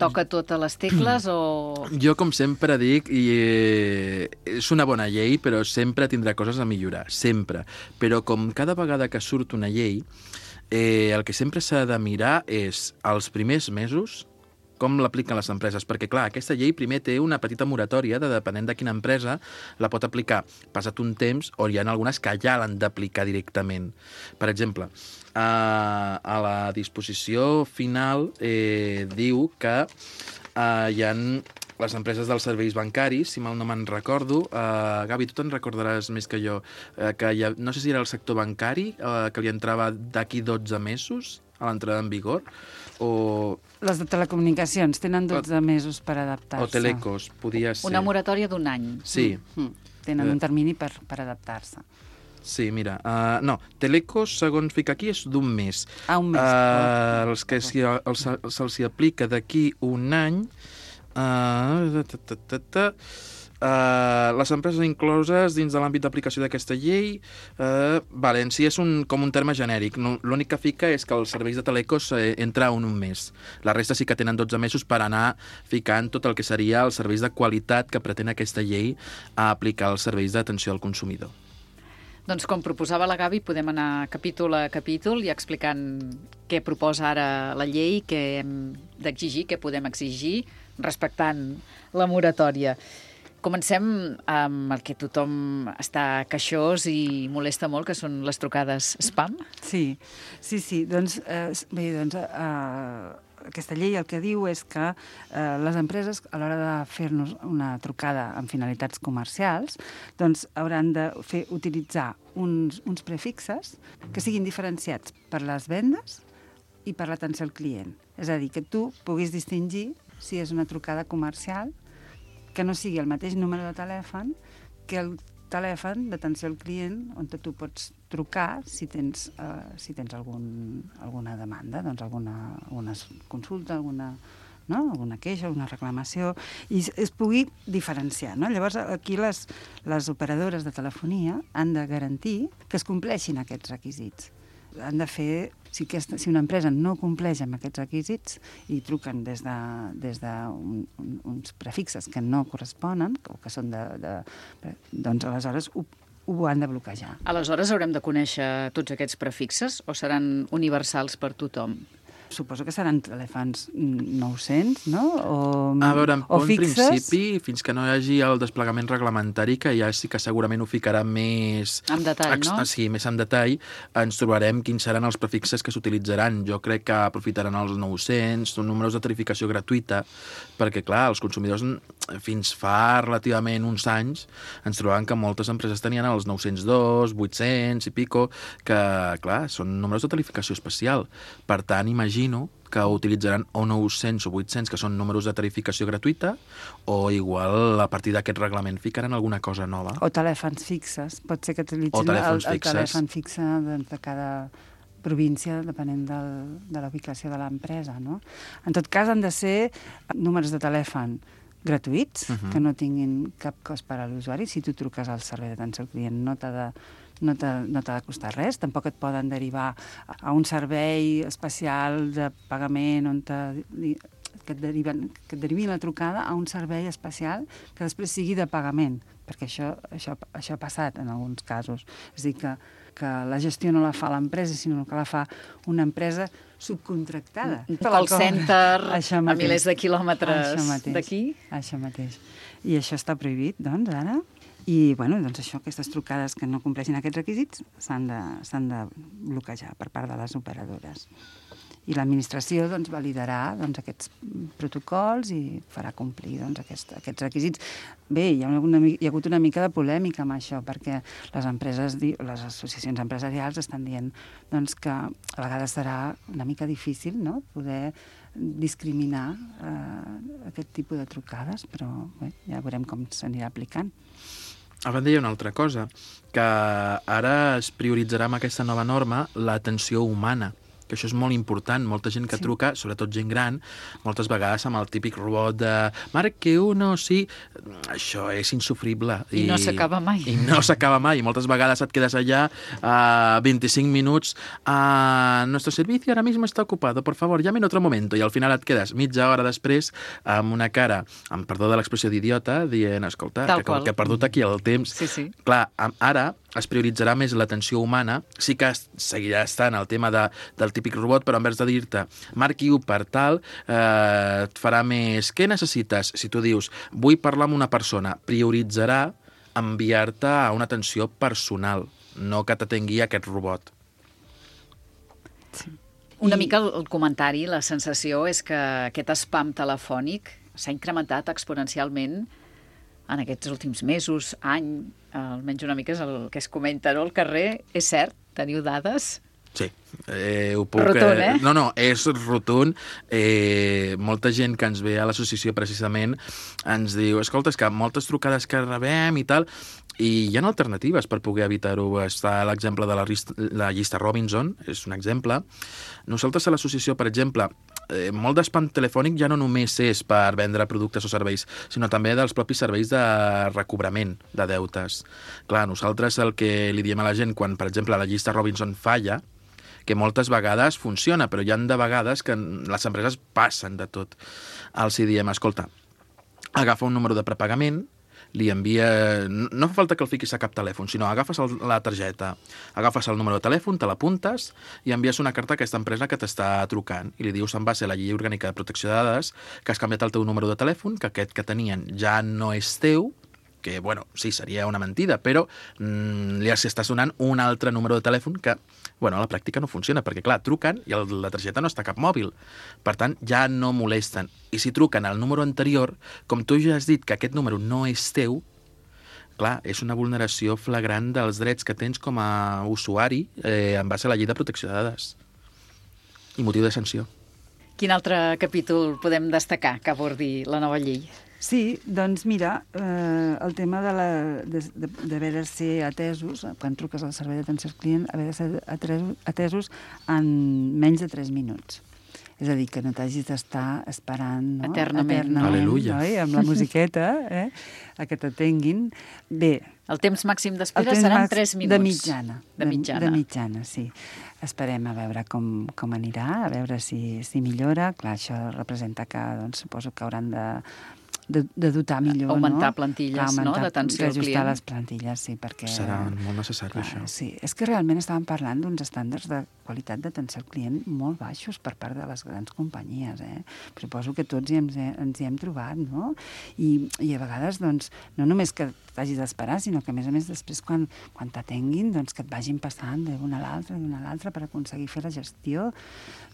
Toca totes les tecles o...? Jo, com sempre dic, és una bona llei, però sempre tindrà coses a millorar, sempre. Però com cada vegada que surt una llei, el que sempre s'ha de mirar és els primers mesos com l'apliquen les empreses, perquè, clar, aquesta llei primer té una petita moratòria depenent de quina empresa la pot aplicar. Passat un temps, o hi ha algunes que ja l'han d'aplicar directament. Per exemple, a la disposició final diu que hi ha les empreses dels serveis bancaris, si mal no me'n recordo. Gavi, tu te'n recordaràs més que jo, que no sé si era el sector bancari, que li entrava d'aquí 12 mesos a l'entrada en vigor, o... Les de telecomunicacions tenen 12 mesos per adaptar-se. O Telecos, podia ser. Una moratòria d'un any. Sí. Tenen un termini per adaptar-se. Sí, mira, no, Telecos, segons fica aquí, és d'un mes. Un mes. Els que se'ls aplica d'aquí un any... les empreses incloses dins de l'àmbit d'aplicació d'aquesta llei, en si és com un terme genèric. L'únic que fica és que els serveis de Telecos entra un mes. La resta sí que tenen 12 mesos per anar ficant tot el que seria els serveis de qualitat que pretén aquesta llei a aplicar als serveis d'atenció al consumidor. Doncs com proposava la Gavi, podem anar capítol a capítol i explicant què proposa ara la llei, què hem d'exigir, què podem exigir, respectant la moratòria. Comencem amb el que tothom està queixós i molesta molt, que són les trucades spam. Sí. Doncs aquesta llei el que diu és que les empreses, a l'hora de fer-nos una trucada amb finalitats comercials, doncs hauran de utilitzar uns prefixes que siguin diferenciats per les vendes i per l'atenció al client. És a dir, que tu puguis distingir si és una trucada comercial, que no sigui el mateix número de telèfon que el telèfon d'atenció al client on tu pots trucar si tens alguna demanda, doncs alguna consulta, alguna queixa, alguna reclamació, i es pugui diferenciar, no? Llavors, aquí les operadores de telefonia han de garantir que es compleixin aquests requisits. Han de fer, si una empresa no compleix amb aquests requisits i truquen des d'uns prefixes que no corresponen, o que són doncs aleshores ho han de bloquejar. Aleshores haurem de conèixer tots aquests prefixes o seran universals per tothom? Suposo que seran telèfons 900, no? A veure, o en fixes. principi, fins que no hi hagi el desplegament reglamentari, que ja sí que segurament ho ficarà més... En detall, no? Sí, més en detall, ens trobarem quins seran els prefixes que s'utilitzaran. Jo crec que aprofitaran els 900, són números de tarificació gratuïta, perquè, clar, els consumidors fins fa relativament uns anys ens trobaven que moltes empreses tenien els 902, 800 i pico, que, clar, són números de tarificació especial. Per tant, imagino que utilitzaran o 900 o 800, que són números de tarificació gratuïta, o igual a partir d'aquest reglament ficaran alguna cosa nova. O telèfons fixes. Pot ser que utilitzin el telèfon fixe de cada província, depenent de la ubicació de l'empresa, no? En tot cas, han de ser números de telèfon gratuïts, que no tinguin cap cost per a l'usuari. Si tu truques al servei d'atenció al client no t'ha de costar res, tampoc et poden derivar a un servei especial de pagament on que et derivin la trucada a un servei especial que després sigui de pagament, perquè això ha passat en alguns casos. És a dir, que la gestió no la fa l'empresa, sinó que la fa una empresa subcontractada. Un call center a milers de quilòmetres d'aquí. Això mateix. I això està prohibit, doncs, ara. I, bueno, doncs això, aquestes trucades que no compleixin aquests requisits s'han de bloquejar per part de les operadores. I l'administració doncs, validarà aquests protocols i farà complir aquests requisits. Bé, hi ha hagut una mica de polèmica amb això, perquè les associacions empresarials estan dient que a vegades serà una mica difícil, no?, poder discriminar aquest tipus de trucades, però bé, ja veurem com s'anirà aplicant. A banda, hi ha una altra cosa, que ara es prioritzarà amb aquesta nova norma l'atenció humana, que això és molt important. Molta gent que truca, sobretot gent gran, moltes vegades amb el típic robot de marque uno, sí, això és insufrible. I no s'acaba mai. I no s'acaba mai. I moltes vegades et quedes allà 25 minuts, nuestro servicio ahora mismo está ocupado, por favor, llame en otro momento. I al final et quedes mitja hora després amb una cara, amb perdó de l'expressió d'idiota, dient, escolta, que he perdut aquí el temps. Sí. Clar, ara es prioritzarà més l'atenció humana. Sí que seguirà estant el tema del típic robot, però en vez de dir-te marqui-ho per tal, et farà més què necessites? Si tu dius vull parlar amb una persona, prioritzarà enviar-te a una atenció personal, no que t'atengui aquest robot. Sí. Una mica el comentari, la sensació és que aquest spam telefònic s'ha incrementat exponencialment en aquests últims mesos, any, almenys una mica és el que es comenta, no? Al carrer. És cert? Teniu dades? Sí, ho puc... Rotund, eh? No, és rotund. Molta gent que ens ve a l'associació precisament ens diu, escolta, és que moltes trucades que rebem i tal, i hi ha alternatives per poder evitar-ho. Està l'exemple de la llista Robinson, és un exemple. Nosaltres a l'associació, per exemple, molt d'espam telefònic ja no només és per vendre productes o serveis, sinó també dels propis serveis de recobrament de deutes. Clar, nosaltres el que li diem a la gent quan, per exemple, la llista Robinson falla, que moltes vegades funciona, però hi ha de vegades que les empreses passen de tot. Els diem, escolta, agafa un número de prepagament, li envia... No fa falta que el fiquis a cap telèfon, sinó agafes la targeta, agafes el número de telèfon, te l'apuntes i envies una carta a aquesta empresa que t'està trucant i li dius en base a la llei orgànica de protecció de dades que has canviat el teu número de telèfon, que aquest que tenien ja no és teu, que, bueno, sí, seria una mentida, però li estàs donant un altre número de telèfon que, bueno, a la pràctica no funciona, perquè, clar, truquen i la targeta no està a cap mòbil. Per tant, ja no molesten. I si truquen al número anterior, com tu ja has dit que aquest número no és teu, clar, és una vulneració flagrant dels drets que tens com a usuari en base a la llei de protecció de dades. I motiu de sanció. Quin altre capítol podem destacar que abordi la nova llei? Sí, doncs mira, el tema d'haver de ser atesos, quan truques al servei d'atenció al client, haver de ser atesos en menys de 3 minuts. És a dir, que no t'hagis d'estar esperant, no? Eternament. Aleluia. Oi? Amb la musiqueta, a que t'atenguin. Bé. El temps màxim d'espera seran 3 minuts. De mitjana. De mitjana, sí. Esperem a veure com anirà, a veure si millora. Clar, això representa que, doncs, suposo que hauran de dotar millor, Augmentar no? plantilles, no?, d'atenció al d'ajustar client. les plantilles, sí, perquè... Serà molt necessari, això. Sí, és que realment estàvem parlant d'uns estàndards de qualitat d'atenció al client molt baixos per part de les grans companyies, Suposo que tots ens hi hem trobat, no? I a vegades, doncs, no només que t'hagis d'esperar, sinó que, a més, després, quan t'atenguin, doncs, que et vagin passant d'una a l'altra per aconseguir fer la gestió,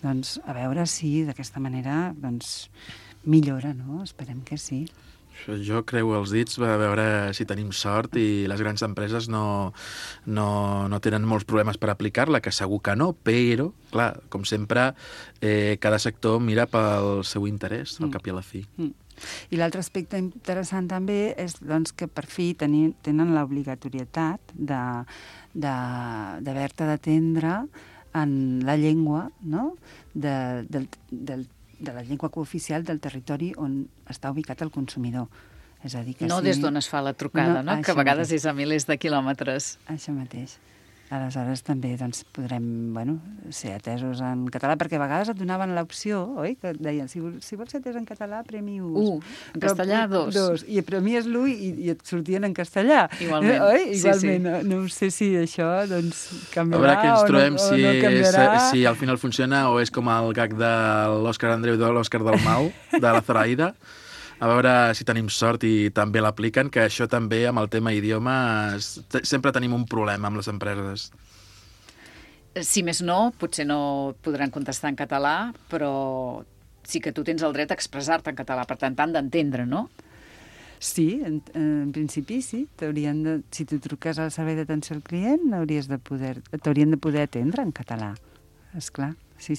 doncs, a veure si d'aquesta manera, doncs, millora, no? Esperem que sí. Jo creu els dits a veure si tenim sort i les grans empreses no tenen molts problemes per aplicar-la, que segur que no, però, clar, com sempre, cada sector mira pel seu interès, al cap i a la fi. I l'altre aspecte interessant també és, doncs, que per fi tenen l'obligatorietat d'haver-te d'atendre en la llengua, no?, de la llengua cooficial del territori on està ubicat el consumidor. És a dir, que no des d'on es fa la trucada, no? Que a vegades és a milers de quilòmetres. Això mateix. Aleshores també doncs, podrem ser atesos en català, perquè a vegades et donaven l'opció, oi? Que et deien, si vols ser atès en català, premi 1. En castellà, 2. I premies l'1 i et sortien en castellà. Igualment. Oi? Igualment. Sí. No sé si això doncs, canviarà a veure què ens trobem, o no canviarà. Si al final funciona o és com el gag de l'Òscar Andreu de l'Òscar Dalmau, de la Zoraida. A veure si tenim sort i també l'apliquen, que això també, amb el tema idiomes, sempre tenim un problema amb les empreses. Si més no, potser no podran contestar en català, però sí que tu tens el dret a expressar-te en català, per tant, t'han d'entendre, no? Sí, en principi sí. Si tu truques al servei d'atenció al client, t'haurien de poder atendre en català, esclar. Sí.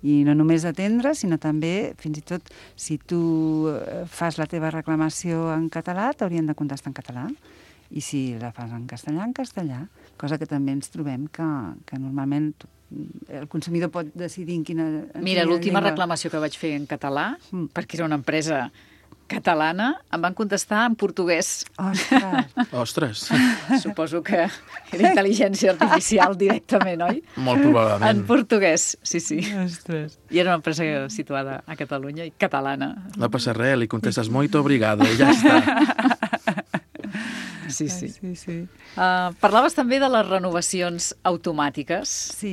I no només atendre, sinó també, fins i tot, si tu fas la teva reclamació en català, t'haurien de contestar en català. I si la fas en castellà, cosa que també ens trobem que normalment el consumidor pot decidir en quina... Mira, l'última reclamació que vaig fer en català, perquè era una empresa catalana, em van contestar en portuguès. Ostres! Suposo que era intel·ligència artificial directament, oi? Molt probablement. En portuguès, sí. Ostres. I era una empresa situada a Catalunya i catalana. No passa res, li contestes muito obrigado i ja està. Sí. Parlaves també de les renovacions automàtiques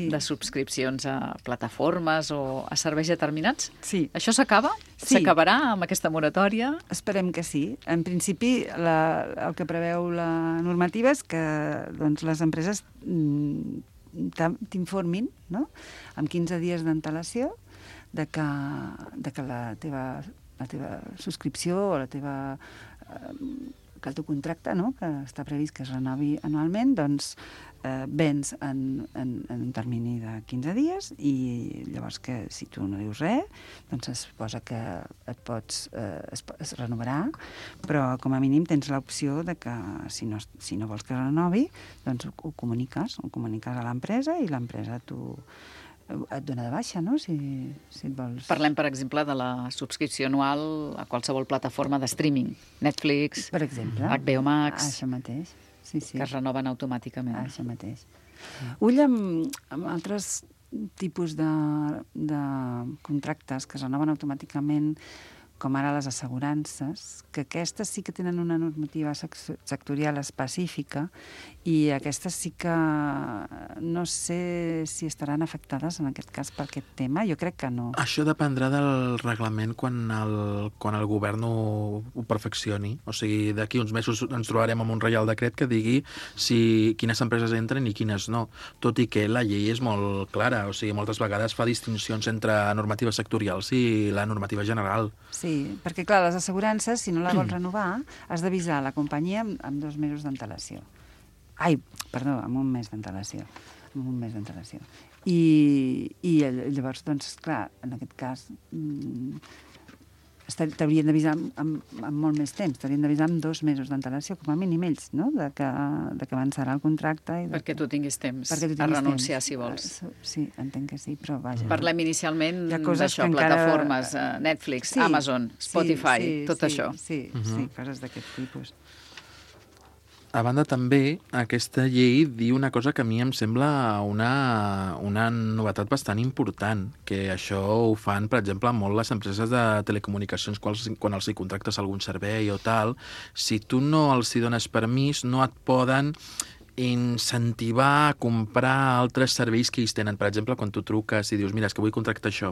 de subscripcions a plataformes o a serveis determinats. Sí. Això s'acaba? Sí. S'acabarà amb aquesta moratòria? Esperem que sí. En principi, el que preveu la normativa és que doncs, les empreses t'informin, no?, amb 15 dies d'antelació de que la teva subscripció o la teva... que el teu contracte, no?, que està previst que es renovi anualment, doncs vens en un termini de 15 dies i llavors que si tu no dius res, doncs es suposa que es renovarà, però com a mínim tens l'opció de que si no vols que es renovi, doncs ho comuniques a l'empresa i l'empresa et dona de baixa, no?, si et vols... Parlem, per exemple, de la subscripció anual a qualsevol plataforma de streaming. Netflix, per exemple, HBO Max... Això mateix, sí. Que es renoven automàticament. Això mateix. Ull amb altres tipus de contractes que es renoven automàticament, com ara les assegurances, que aquestes sí que tenen una normativa sectorial específica i aquestes sí que no sé si estaran afectades en aquest cas per aquest tema. Jo crec que no. Això dependrà del reglament quan el govern ho perfeccioni. O sigui, d'aquí uns mesos ens trobarem amb un reial decret que digui quines empreses entren i quines no. Tot i que la llei és molt clara. O sigui, moltes vegades fa distincions entre normatives sectorials i la normativa general. Sí, perquè, clar, les assegurances, si no la vols renovar, has d'avisar la companyia amb 2 mesos d'antelació. Amb un mes d'antelació. I llavors, doncs, clar, en aquest cas, t'haurien d'avisar amb molt més temps, t'haurien d'avisar amb 2 mesos d'antelació, com a mínim ells, no?, de que avançarà el contracte. Perquè tu tinguis temps a renunciar, si vols. Sí, entenc que sí, però vaja. Parlem inicialment d'això, plataformes, Netflix, Amazon, Spotify, tot això. Sí, coses d'aquest tipus. a banda també, aquesta llei diu una cosa que a mi em sembla una novetat bastant important, que això ho fan, per exemple, molt les empreses de telecomunicacions quan els hi contractes algun servei o tal. Si tu no els hi dones permís, no et poden incentivar a comprar altres serveis que ells tenen. Per exemple, quan tu truques i dius, mira, és que vull contractar això.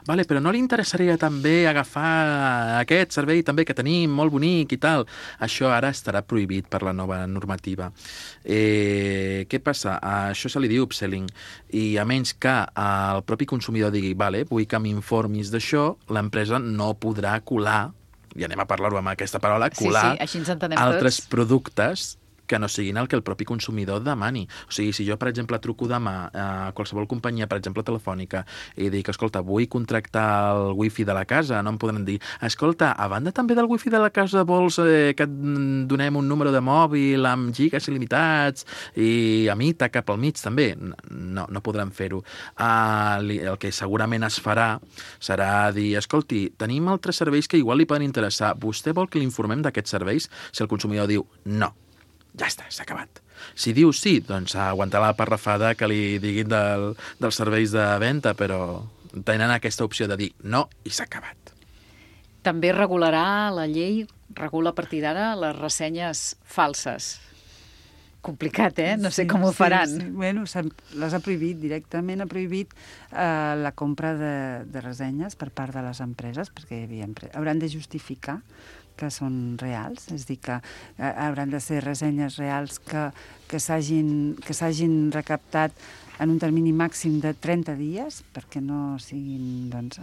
Vale, però no li interessaria també agafar aquest servei també que tenim, molt bonic i tal. Això ara estarà prohibit per la nova normativa. Què passa? A això se li diu upselling. I a menys que el propi consumidor digui, vale, vull que m'informis d'això, l'empresa no podrà colar, i anem a parlar-ho amb aquesta paraula, colar així ens entenem altres tots. productes que no siguin el que el propi consumidor demani. O sigui, si jo, per exemple, truco demà a qualsevol companyia, per exemple, telefònica, i dic, escolta, vull contractar el wifi de la casa, no em podran dir, escolta, a banda també del wifi de la casa vols que et donem un número de mòbil amb gigas il·limitats i a mita cap al mig, també? No podran fer-ho. El que segurament es farà serà dir, escolti, tenim altres serveis que igual li poden interessar. Vostè vol que l'informem d'aquests serveis? Si el consumidor diu no, ja està, s'ha acabat. Si diu sí, doncs aguantar la parrafada que li diguin dels serveis de venda, però tenen aquesta opció de dir no i s'ha acabat. També regularà la llei, regula a partir d'ara les ressenyes falses. Complicat, No sé com ho faran. Sí. Bueno, les ha prohibit directament, ha prohibit la compra de ressenyes per part de les empreses, perquè hauran de justificar que són reals, és a dir, que hauran de ser ressenyes reals que s'hagin recaptat en un termini màxim de 30 dies, perquè no siguin doncs,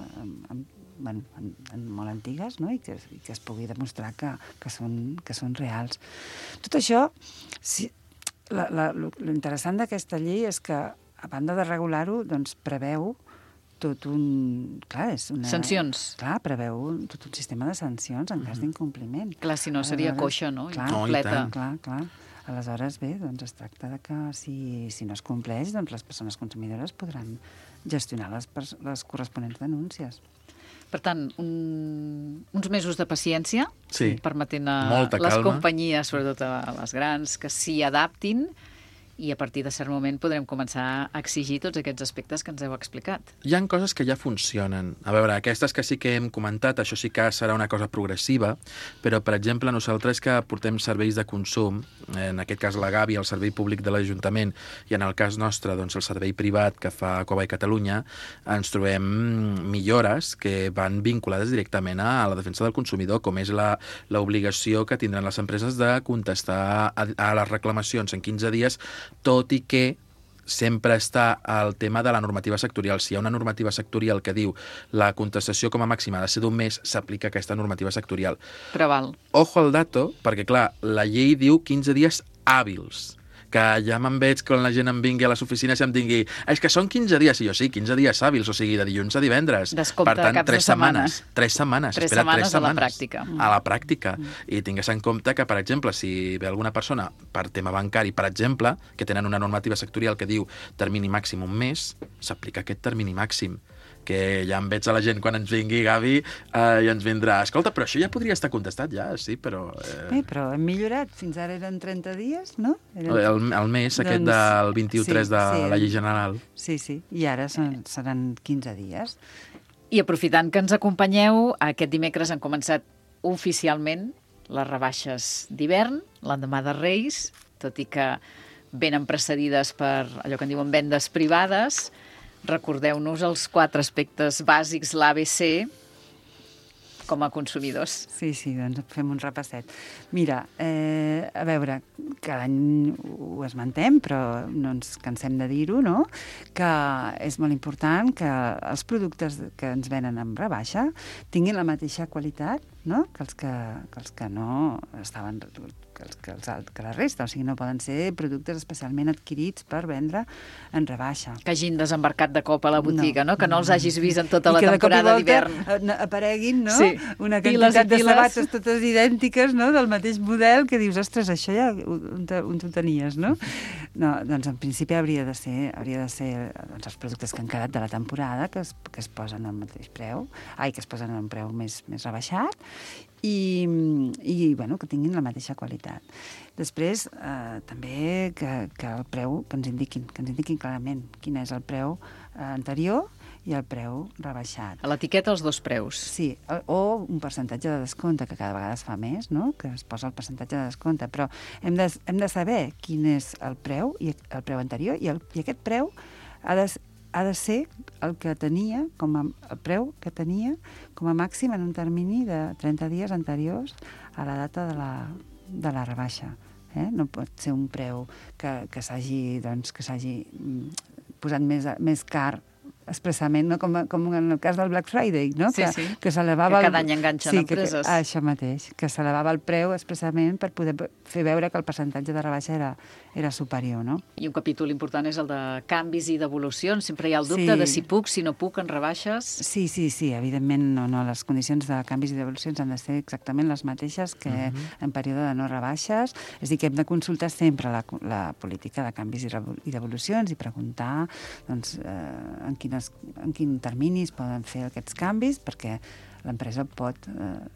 molt antigues, no? I que es pugui demostrar que són reals. Tot això, l'interessant d'aquesta llei és que, a banda de regular-ho, doncs preveu tot un... Clar, sancions. Clar, preveu tot un sistema de sancions en cas d'incompliment. Clar, si no seria coixa, no? Clar. Aleshores, bé, doncs es tracta de que si no es compleix, doncs les persones consumidores podran gestionar les corresponents denúncies. Per tant, uns mesos de paciència, permetent a les companyies, sobretot a les grans, que s'hi adaptin, i a partir de cert moment podrem començar a exigir tots aquests aspectes que ens heu explicat. Hi ha coses que ja funcionen. A veure, aquestes que sí que hem comentat, això sí que serà una cosa progressiva, però, per exemple, nosaltres que portem serveis de consum, en aquest cas la Gavi, el servei públic de l'Ajuntament, i en el cas nostre, doncs, el servei privat que fa Cova i Catalunya, ens trobem millores que van vinculades directament a la defensa del consumidor, com és l'obligació que tindran les empreses de contestar a les reclamacions en 15 dies, tot i que sempre està el tema de la normativa sectorial. Si hi ha una normativa sectorial que diu la contestació com a màxima ha de ser d'un mes, s'aplica aquesta normativa sectorial. Preval. Ojo al dato, perquè, clar, la llei diu 15 dies hàbils, que ja me'n veig quan la gent em vingui a les oficines i em digui, és que són 15 dies, i jo sí, 15 dies hàbils, o sigui, de dilluns a divendres. Descompte, per tant, caps de setmanes. 3 setmanes. 3 setmanes a la pràctica. A la pràctica. I tingues en compte que, per exemple, si ve alguna persona per tema bancari, per exemple, que tenen una normativa sectorial que diu termini màxim un mes, s'aplica aquest termini màxim. Que ja em veig a la gent quan ens vingui, Gavi, i ens vindrà, escolta, però això ja podria estar contestat, ja, sí, però... Però hem millorat, fins ara eren 30 dies, no? El mes aquest del 21-3 de la llei general. Sí, i ara seran 15 dies. I aprofitant que ens acompanyeu, aquest dimecres han començat oficialment les rebaixes d'hivern, l'endemà de Reis, tot i que venen precedides per allò que en diuen vendes privades. Recordeu-nos els 4 aspectes bàsics, l'ABC, com a consumidors. Sí, doncs fem un repasset. Mira, a veure, cada any ho esmentem, però no ens cansem de dir-ho, no? Que és molt important que els productes que ens venen amb rebaixa tinguin la mateixa qualitat, no? que els que no estaven... que la resta, o sigui, no poden ser productes especialment adquirits per vendre en rebaixa. Que hagin desembarcat de cop a la botiga, no? Que no els hagis vist en tota la temporada d'hivern. I que de cop i volta apareguin, no? Sí. Una quantitat de sabates totes idèntiques, no? Del mateix model, que dius, ostres, això ja on t'ho tenies, no? No, doncs en principi hauria de ser doncs, els productes que han quedat de la temporada que es posen al mateix preu, que es posen a un preu més rebaixat, i bueno, que tinguin la mateixa qualitat. Després, també que el preu, que ens indiquin clarament quin és el preu anterior i el preu rebaixat. A l'etiqueta els 2 preus. Sí, o un percentatge de descompte, que cada vegada es fa més, no? Que es posa el percentatge de descompte, però hem de saber quin és el preu anterior i aquest preu ha de ser el que tenia, el preu que tenia com a màxim en un termini de 30 dies anteriors a la data de la rebaixa. No pot ser un preu que s'hagi posat més car expressament, no? Com en el cas del Black Friday, no? Sí, que s'elevava... Que cada any enganxen empreses. Això mateix, que s'elevava el preu expressament per poder fer veure que el percentatge de rebaixa era superior, no? I un capítol important és el de canvis i devolucions. Sempre hi ha el dubte de si puc, si no puc, en rebaixes. Sí, evidentment no. Les condicions de canvis i devolucions han de ser exactament les mateixes que en període de no rebaixes. És a dir, que hem de consultar sempre la política de canvis i devolucions i preguntar doncs, en quin termini es poden fer aquests canvis, perquè l'empresa pot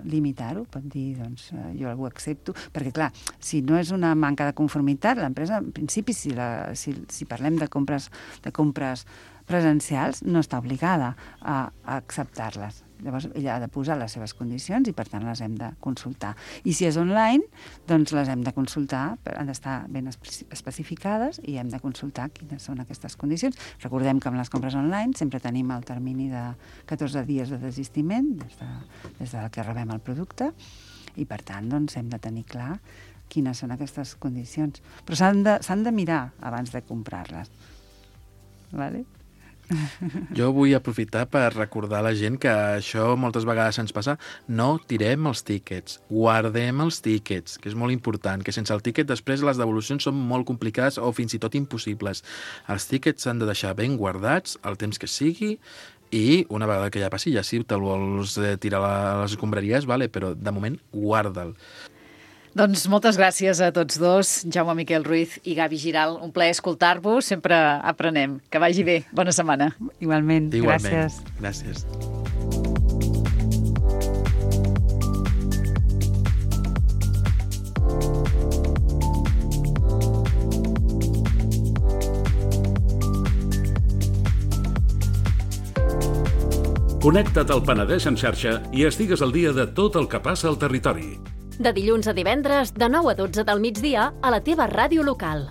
limitar-ho, pot dir, doncs, jo ho accepto, perquè, clar, si no és una manca de conformitat, l'empresa, en principi, si parlem de compres presencials, no està obligada a acceptar-les. Llavors, ella ha de posar les seves condicions i, per tant, les hem de consultar. I si és online, doncs les hem de consultar, han d'estar ben especificades i hem de consultar quines són aquestes condicions. Recordem que amb les compres online sempre tenim el termini de 14 dies de desistiment des de que rebem el producte i, per tant, doncs, hem de tenir clar quines són aquestes condicions. Però s'han de mirar abans de comprar-les. Vale? Jo vull aprofitar per recordar a la gent que això moltes vegades ens passa. No tirem els tíquets, guardem els tíquets, que és molt important, que sense el tíquet després les devolucions són molt complicades o fins i tot impossibles. Els tíquets s'han de deixar ben guardats el temps que sigui i una vegada que ja passi, ja si te'l vols tirar a les escombraries, vale, però de moment guarda'l. Doncs moltes gràcies a tots dos, Jaume Miquel Ruiz i Gavi Giral. Un plaer escoltar-vos, sempre aprenem. Que vagi bé. Bona setmana. Igualment. Gràcies. Gràcies. Connecta't al Penedès en xarxa i estigues al dia de tot el que passa al territori. De dilluns a divendres, de 9 a 12 del migdia, a la teva ràdio local.